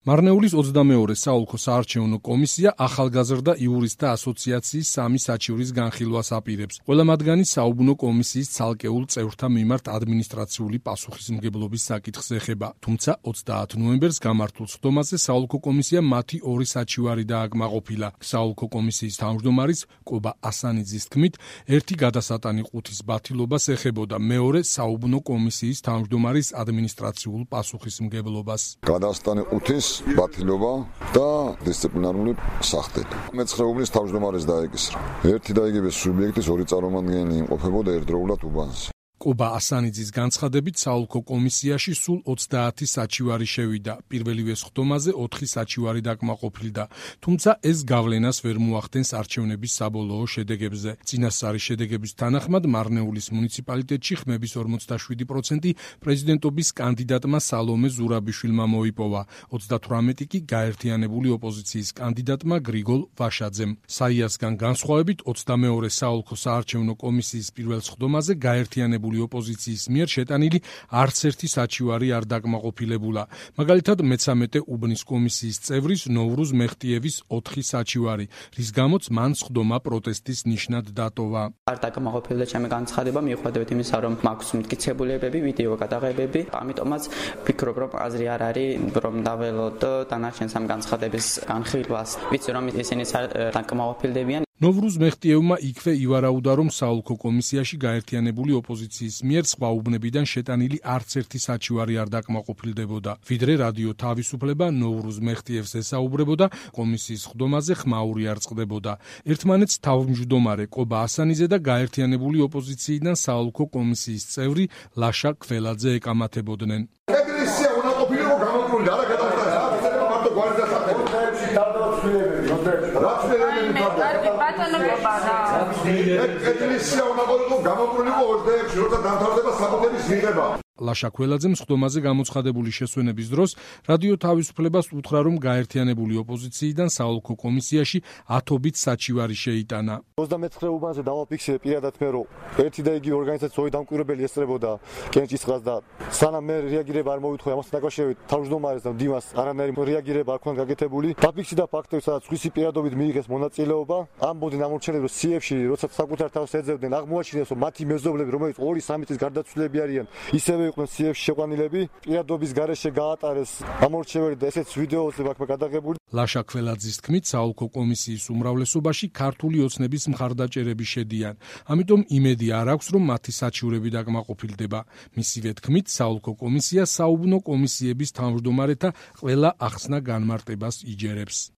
მარნეულის 22-ე საოლქო საარჩევნო კომისია ახალგაზრდა იურისტთა ასოციაციის 3 საჩივრის განხილვას აპირებს. ყველა მათგანი საუბნო კომისიის ცალკეულ წევრთა მიმართ ადმინისტრაციული პასუხისმგებლობის საკითხს ეხება. თუმცა 30 ნოემბერს გამართულ სხდომაზე საოლქო კომისია მათი 2 საჩივარი დააკმაყოფილა. საოლქო კომისიის თავმჯდომარის კობა ასანიძის თქმით, ერთი გადასატანი ყუთის ბათილობას ეხებოდა, მეორე საუბნო კომისიის თავმჯდომარის ადმინისტრაციულ პასუხისმგებლობას. გადასატანი ყუთის ბათილობა და დისციპლინარული სახდელი. მეცხრეუბნის თავმჯდომარეს დაეკისრა. ერთი დაიგებეს სუბიექტის 2 წარმომადგენელი იმყოფებოდა ერთდროულად უბანზე. კობა ასანიძის განცხადებით საოლქო კომისიაში სულ 30 საჩივარი შევიდა. პირველივე სხდომაზე 4 საჩივარი დაკმაყოფილდა, თუმცა ეს გავლენას ვერ მოახდენს არჩევნების საბოლოო შედეგებზე. წინასწარი შედეგების თანახმად მარნეულის მუნიციპალიტეტში ხმების 47% პრეზიდენტობის კანდიდატმა სალომე ზურაბიშვილმა მოიპოვა, 38 კი გაერთიანებული ოპოზიციის კანდიდატმა გრიგოლ ვაშაძემ. საიასგან განსხვავებით 22-ე საოლქო საარჩევნო კომისიის პირველ სხდომაზე გაერთიანებული ოპოზიციის მიერ შეტანილი არც ერთი საჩივარი არ დაკმაყოფილებულა. მაგალითად, მე-13 უბნის კომისიის წევრის ნოვრუზ მეხტიევის 4 საჩივარი, რის გამოც მან სხდომა პროტესტის ნიშნად დატოვა. არ დაკმაყოფილდა ჩემი განცხადება, მიუხედავად იმისა, რომ მაქვს მტკიცებულებები, ვიდეო გადაღებები, ამიტომაც ვფიქრობ, რომ აზრი არ არის, რომ დაველოთ დანარჩენ სამ განცხადების განხილვას. ვიცი, რომ ისინი დაკმაყოფილდებიან. ნოვრუზ მეხტიევმა იქვე ივარაუდა, რომ საოლქო კომისიაში გაერთიანებული ოპოზიციის მიერ სხვა უბნებიდან შეტანილი არც ერთი საჩივარი არ დაკმაყოფილდებოდა. ვიდრე რადიო თავისუფლება ნოვრუზ მეხტიევს ესაუბრებოდა, კომისიის სხდომაზე ხმაური არ წყდებოდა. ერთმანეთს თავმჯდომარე კობა ასანიძე და გაერთიანებული ოპოზიციიდან საოლქო კომისიის წევრი ლაშა ქველაძე ეკამათებოდნენ. ეკლესია უნდა ყოფილიყო გამოკვლეული, არა გადავხდა მარტო გვარი და საკუთრებები. ეკლესია უნდა ყოფილიყო გამოკვლეული 26-ში, როცა დამთავრდება საკუთრების მიღება. ლაშა ქველაძემ სხდომაზე გამოცხადებული შესვენების დროს რადიო თავისუფლებას უთხრა, რომ გაერთიანებული ოპოზიციიდან საოლქო კომისიაში 10-ობით საჩივარი შეიტანა. 29 უბანზე დავაფიქსირე პირადად მე, რომ ერთი და იგივე ორგანიზაციის დამკვირვებელი ესწრებოდა კენჭისყრას და სანამ მე რეაგირება არ მოვიტყვი ამასთან დაკავშირებით თავმჯდომარეს და დიმას არანაირი რეაგირება არ ქონდა გაკეთებული. დაფიქსირდა ფაქტები, სადაც სხვისი პირადობით მიიღეს მონაწილეობა. ამბობდნენ ამორჩენებს, რომ CF-ში როცა საკუთარ თავს ეძებდნენ, აღმოაჩინეს, რომ მათი მეზობლები, რომლებიც 2-3 წლის გარდაცვლილები არიან, ისევე იყვნენ CF-ში შეყვანილები. პირადობის გარეშე გაატარეს ამორჩეველი და ესეც ვიდეოზე აქვს გადაღებული. ლაშა ქველაძის თქმით, საოლქო კომისიის უმრავლესობაში ქართული ოცნების მხარდაჭერები შედიან. ამიტომ იმედი არ აქვს, რომ მათი საჩივრები დაკმაყოფილდება. მისივე თქმით, საოლქო კომისია საუბნო კომისიების თავმჯდომარეთა ყველა ახსნა განმარტებას იჯერებს.